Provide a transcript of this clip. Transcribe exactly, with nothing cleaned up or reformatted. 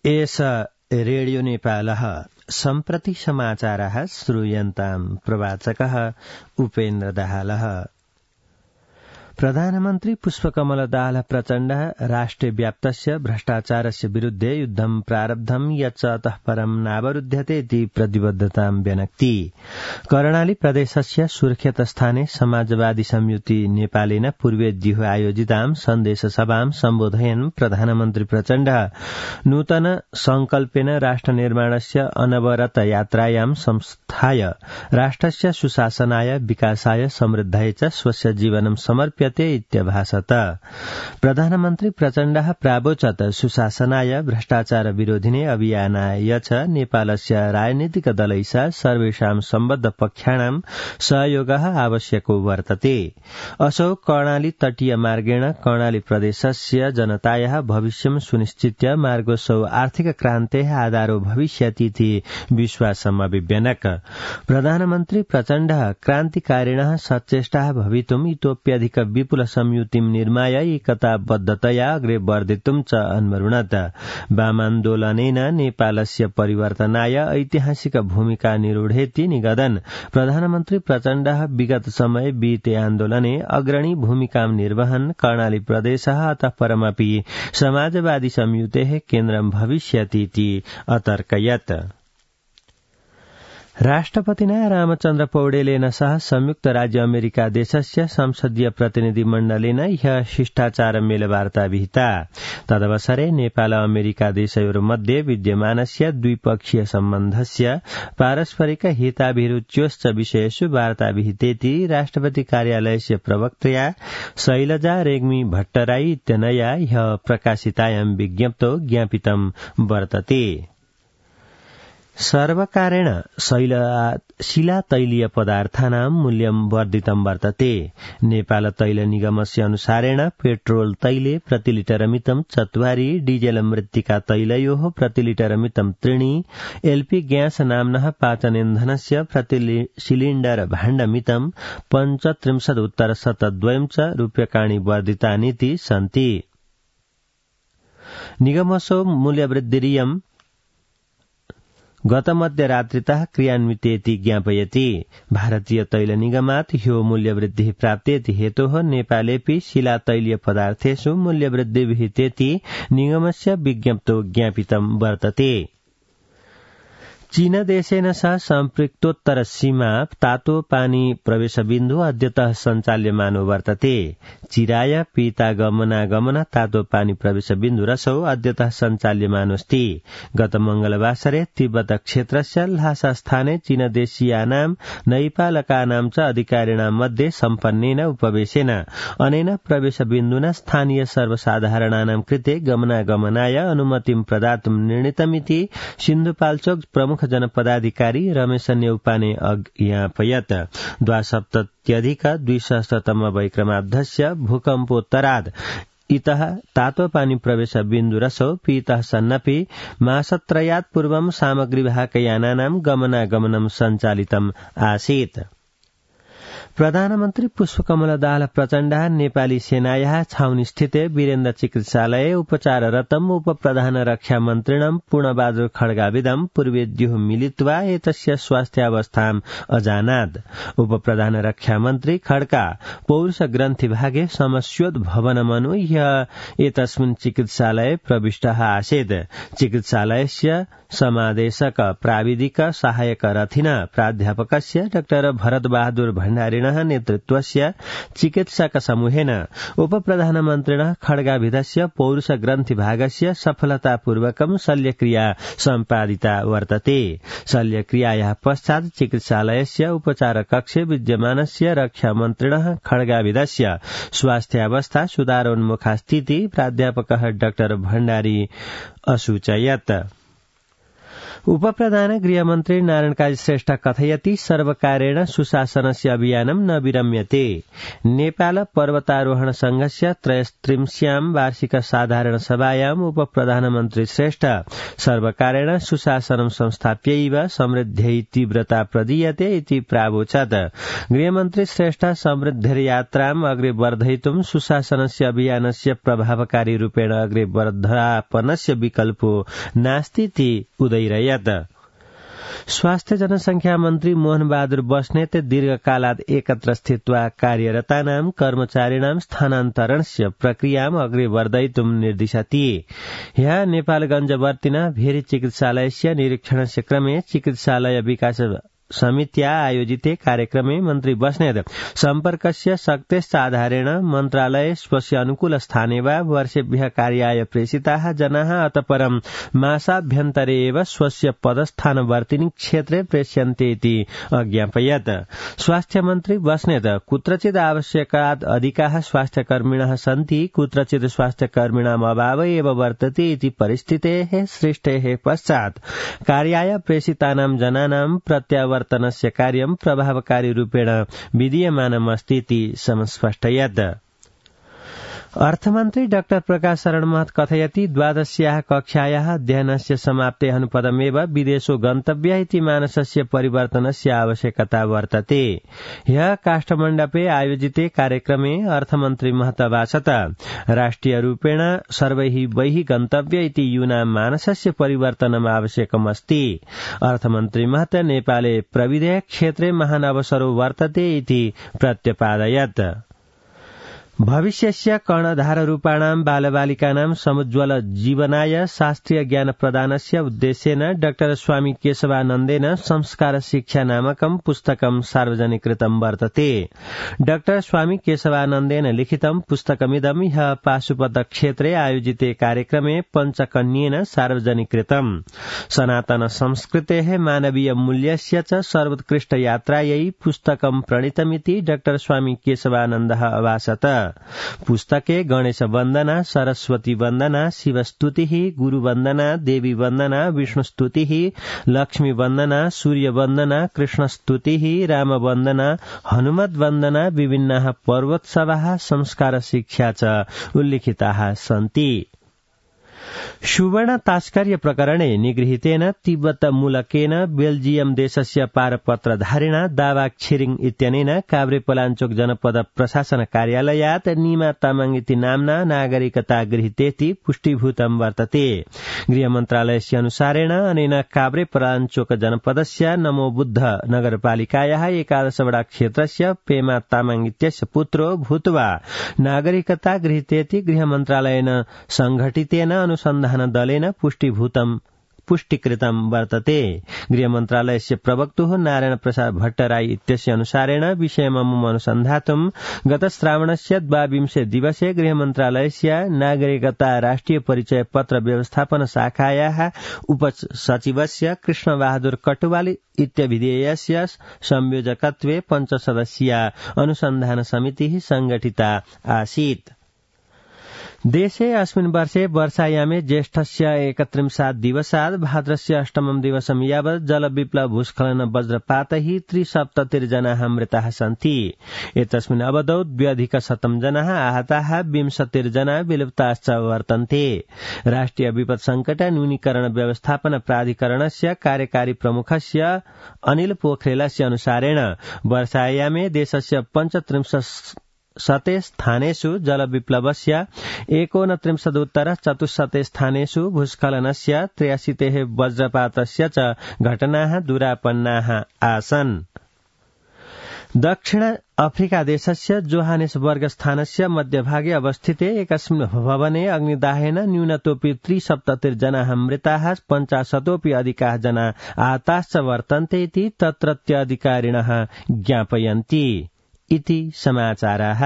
एष रेडियो नेपालः सम्प्रति समाचारः श्रूयन्ताम् प्रवाचकः उपेन्द्र दाहालः। प्रधानमन्त्री पुष्पकमल दाहाल प्रचण्ड राष्ट्रव्याप्तस्य भ्रष्टाचारस्य विरुद्धे युद्धं प्रारब्धं यच्च अतः परं नावरुध्यते इति प्रतिबद्धतां व्यनक्ति। कर्णाली प्रदेशस्य सुर्खेत स्थाने समाजवादी संयुति नेपालेन पूर्वेद्युः आयोजितां सन्देशसभां सम्बोधयन् प्रधानमन्त्री प्रचण्ड नूतन संकल्पेन राष्ट्र निर्माणस्य अनवरत यात्रायां संस्थाय राष्ट्रस्य सुशासनाय विकासाय समृद्धाय च स्वस्य जीवनं समर्प्य इत्यभाषत। प्रधानमन्त्री प्रचण्डः प्रावोचत् सुशासनाय भ्रष्टाचार विरोधिने अभियानाय च नेपालस्य राजनीतिक दलैः सर्वेषां सम्बद्ध पक्षाणां सहयोगः आवश्यको वर्तते। असौ कर्णाली तटीय मार्गेण कर्णाली प्रदेशस्य जनतायाः भविष्यं सुनिश्चित्य मार्गोऽसौ आर्थिक क्रान्तेः आधारो भविष्यतीति विश्वासम् अभिव्यनक। प्रधानमन्त्री प्रचण्डः क्रान्तिकारिणः सचेष्टाः भवितुम् इतोप्यधिक विपुल संयुतिं निर्माय एकताबद्धतया अग्रे वर्धितुं च अन्वरुणत। वामान्दोलनेन नेपालस्य परिवर्तनाय ऐतिहासिक भूमिका निरूढेति निगदन् प्रधानमन्त्री प्रचण्डः विगत समय विहिते आन्दोलने अग्रणी भूमिकां निर्वहन् कर्णाली प्रदेशः अतः परमपि समाजवादी संयुतेः केन्द्रं भविष्यतीति अतर्कयत्। राष्ट्रपतिना रामचन्द्र पौडेलेन सह संयुक्त राज्य अमेरिका देशस्य संसदीय प्रतिनिधिमण्डलेन ह्यः शिष्टाचार मेलवार्ता विहिता। तदवसरे नेपाल अमेरिका देशयोर्मध्ये विद्यमानस्य द्विपक्षीय सम्बन्धस्य पारस्परिक हिताभिरुच्योश्च विषयेषु वार्ता विहितेति राष्ट्रपति कार्यालयस्य प्रवक्त्या शैलजा रेग्मी भट्टराई इत्यनया ह्यः प्रकाशितायां विज्ञप्तौ ज्ञापितं वर्तते। सर्वकारेण शिलातैलीय पदार्थानां मूल्यं वर्धितं वर्तते। नेपाल तैल निगमस्य अनुसारेण पेट्रोल तैले प्रतिलिटरमितं चत्वारि, डीजेल मृत्तिका तैलयोः प्रतिलिटरमितं त्रीणि, एलपी ग्यास नाम्नः पाचनेन्धनस्य प्रति सिलिण्डर भाण्डमितं पञ्चत्रिंशदुत्तर शतद्वयं च रूप्यकाणि वर्धितानीति सन्ति। निगमसो मूल्यवृद्धिरियं गत मध्यरात्रितः क्रियान्वितेति ज्ञापयति। भारतीय तैल निगमात् ह्यो मूल्यवृद्धिः प्राप्तेति हेतोः नेपालेऽपि शिलातैलीय पदार्थेषु मूल्यवृद्धिः विहितेति निगमस्य विज्ञप्तौ ज्ञापितं वर्तते। चीनदेशेन सह सम्पृक्तोत्तर सीमा तातो पानी प्रवेशबिन्दु अद्यतः सञ्चाल्यमानो वर्तते। चिराय पीतागमनागमन तातो पानी प्रवेशबिन्दुरसौ अद्यतः सञ्चाल्यमानोऽस्ति। गत मंगलवासरे तिब्बत क्षेत्रस्य ल्हासा स्थाने चीनदेशीयानां नैपालकानां च अधिकारिणां मध्ये सम्पन्नेन उपवेशेन अनेन प्रवेशबिन्दुना स्थानीय सर्वसाधारणानां कृते गमनागमनाय अनुमतिं प्रदातुं निर्णीतमिति सिन्धुपाल्चोक प्रमुख जनपदाधिकारी रमेश न्यौपाने ज्ञापयत्। द्वासप्तत्यधिक द्विसहस्रतम वैक्रमाब्धस्य भूकम्पोत्तरात् इतः तातोपानी प्रवेश बिन्दुरसौ पीतः सन्नपि मासत्रयात् पूर्वं सामग्रीवाहकयानानां गमनागमनं सञ्चालितम् आसीत्। प्रधानमन्त्री पुष्पकमल दाहाल प्रचण्डः नेपाली सेनायाः छाउनीस्थिते वीरेन्द्र चिकित्सालये उपचाररतम् उपप्रधान रक्षा मन्त्रिणं पूर्णबहादुर खड्गाविदं पूर्वेद्युः मिलित्वा एतस्य स्वास्थ्यावस्थाम् अजानात्। उपप्रधान रक्षा मन्त्री खड्का पौरुष ग्रन्थिभागे समस्योद्भवनमनु ह्यः एतस्मिन् चिकित्सालये प्रविष्टः आसीत्। चिकित्सालयस्य समादेशक प्राविधिक सहायक रथिन प्राध्यापकस्य डाक्टर भरत बहादुर भण्डारिणः नेतृत्वस्य चिकित्सक समूहेन उपप्रधानमन्त्रिणः खड्गाभिधस्य पौरुष ग्रन्थिभागस्य सफलतापूर्वकं शल्यक्रिया सम्पादिता वर्तते। शल्यक्रियायाः पश्चात् चिकित्सालयस्य उपचारकक्षे विद्यमानस्य रक्षामन्त्रिणः खड्गाभिधस्य स्वास्थ्यावस्था सुधारोन्मुखास्तीति प्राध्यापकः डाक्टर भण्डारी असूचयत्। उपप्रधान गृहमन्त्री नारायण काजी श्रेष्ठ कथयति सर्वकारेण सुशासनस्य अभियानं न विरम्यते। नेपाल पर्वतारोहण संघस्य त्रयस्त्रिंश्यां वार्षिक साधारण सभायाम् उपप्रधानमन्त्री श्रेष्ठ सर्वकारेण सुशासनं संस्थाप्यैव समृद्ध्यै तीव्रता प्रदीयते इति प्रावोचत्। गृहमन्त्री श्रेष्ठ समृद्धिर्यात्राम् अग्रे वर्धयितुं सुशासनस्य अभियानस्य प्रभावकारी रूपेण अग्रे वर्धनापनस्य विकल्पो नास्तीति उदैरयत्। स्वास्थ्य जनसंख्या मन्त्री मोहन बहादुर बस्नेत दीर्घकालात् एकत्र स्थित्वा कार्यरतानां कर्मचारिणां स्थानान्तरणस्य प्रक्रियाम् अग्रे वर्धयितुं निर्दिशति। ह्यः नेपालगञ्जवर्तिना भेरी चिकित्सालयस्य निरीक्षणस्य क्रमे चिकित्सालय विकास समित्या आयोजिते कार्यक्रमे मन्त्री बस्नेत सम्पर्कस्य शक्तेश्चाधारेण मन्त्रालये स्वस्य अनुकूल स्थाने वा वर्षेभ्यः कार्याय प्रेषिताः जनाः अतः परं मासाभ्यन्तरे एव स्वस्य पदस्थानवर्तिनि क्षेत्रे प्रेष्यन्ते इति अज्ञापयत्। स्वास्थ्य मन्त्री बस्नेत कुत्रचित् आवश्यकात् अधिकाः स्वास्थ्यकर्मिणः सन्ति, कुत्रचित् स्वास्थ्यकर्मिणाम् अभाव एव वर्तते इति परिस्थितेः सृष्टेः पश्चात् कार्याय प्रेषितानां जनानां प्रत्यावर्तनस्य वर्तनस्य कार्यं प्रभावकारी रूपेण विधीयमानमस्ति इति समस्पष्टयत्। अर्थमन्त्री डाक्टर प्रकाश शरण महत कथयति द्वादश्याः कक्षायाः अध्ययनस्य समाप्तेः अनुपदमेव विदेशो गन्तव्यः इति मानसस्य परिवर्तनस्य आवश्यकता वर्तते। ह्यः काष्ठमण्डपे आयोजिते कार्यक्रमे अर्थमन्त्री महत अभाषत राष्ट्रियरूपेण सर्वैः बहिः गन्तव्य इति यूनां मानसस्य परिवर्तनम् आवश्यकमस्ति। अर्थमन्त्री महत नेपाले प्रविधेः क्षेत्रे महान् अवसरो वर्तते इति प्रत्यपादयत्। भविष्यस्य कर्णधाररूपाणां बालबालिकानां समुज्ज्वल जीवनाय शास्त्रीय ज्ञान प्रदानस्य उद्देश्येन डाक्टर स्वामी केशवानन्देन संस्कार शिक्षा नामकं पुस्तकं सार्वजनिकृतं वर्तते। डाक्टर स्वामी केशवानन्देन लिखितं पुस्तकमिदं ह्यः पाशुपत क्षेत्रे आयोजिते कार्यक्रमे पञ्चकन्येन सार्वजनिकृतम्। सनातन संस्कृतेः मानवीय मूल्यस्य च सर्वोत्कृष्ट यात्रायै पुस्तकं प्रणीतमिति डाक्टर स्वामी केशवानन्दः अभाषत। पुस्तके गणेश वन्दना, सरस्वती वन्दना, शिवस्तुतिः, गुरुवन्दना, देवी वन्दना, विष्णुस्तुतिः, लक्ष्मी वन्दना, सूर्य वन्दना, कृष्णस्तुतिः, राम वन्दना, हनुमत वन्दना, विभिन्नाः पर्वोत्सवाः, संस्कार शिक्षा च उल्लिखिताः सन्ति। सुवर्ण तास्कर्य प्रकरणे निगृहीतेन तिब्बत मूलकेन बेल्जियम देशस्य पारपत्रधारिणा दावा छिरिङ इत्यनेन काभ्रेपलाञ्चोक जनपद प्रशासन कार्यालयात् नीमा तामाङ इति नाम्ना नागरिकता गृहीतेति पुष्टिभूतं वर्तते। गृहमन्त्रालयस्य अनुसारेण अनेन काभ्रेपलाञ्चोक जनपदस्य नमोबुद्ध नगरपालिकायाः एकादशवटा क्षेत्रस्य पेमा तामाङ इत्यस्य पुत्रो भूत्वा नागरिकता गृहीतेति गृहमन्त्रालयेन संघटितेन अनुसन्धान दलेन पुष्टिभूतं पुष्टिकृतं वर्तते। गृहमन्त्रालयस्य प्रवक्तुः नारायण प्रसाद भट्टराई इत्यस्य अनुसारेण विषयममुम् अनुसन्धातुं गत श्रावणस्य द्वाविंशे दिवसे गृहमन्त्रालयस्य नागरिकता राष्ट्रिय परिचय पत्र व्यवस्थापन शाखायाः उपसचिवस्य कृष्णबहादुर कटुवाल इत्यभिधेयस्य संयोजकत्वे पञ्चसदस्यीया अनुसन्धान समितिः संगठिता आसीत्। देशे अस्मिन् वर्षे वर्षायामे ज्येष्ठस्य एकत्रिंशात् दिवसात् भाद्रस्य अष्टमं दिवसं यावत् जलविप्लव भूस्खलन वज्रपातैः त्रिसप्ततिर्जनाः मृताः सन्ति। एतस्मिन् अवधौ द्व्यधिकशतं जनाः आहताः, विंशतिर्जना विलुप्ताश्च वर्तन्ते। राष्ट्रिय विपद संकट न्यूनीकरण व्यवस्थापन प्राधिकरणस्य कार्यकारी प्रमुखस्य अनिल पोखरेलस्य अनुसारेण वर्षायामे देशस्य पञ्चत्रिंशत् शते स्थानेषु जलविप्लवस्य एकोनत्रिंशदुत्तर चतुश्शते स्थानेषु भूस्खलनस्य त्र्याशीतेः वज्रपातस्य च घटनाः दूरापन्नाः आसन्। दक्षिण अफ्रिका देशस्य जोहानेसबर्ग स्थानस्य मध्यभागे अवस्थिते एकस्मिन् भवने अग्निदाहेन न्यूनतोऽपि त्रिसप्ततिर्जनाः मृताः, पञ्चाशतोऽपि अधिकाः जना आहताश्च वर्तन्ते इति तत्रत्य अधिकारिणः ज्ञापयन्ति। इति समाचाराः।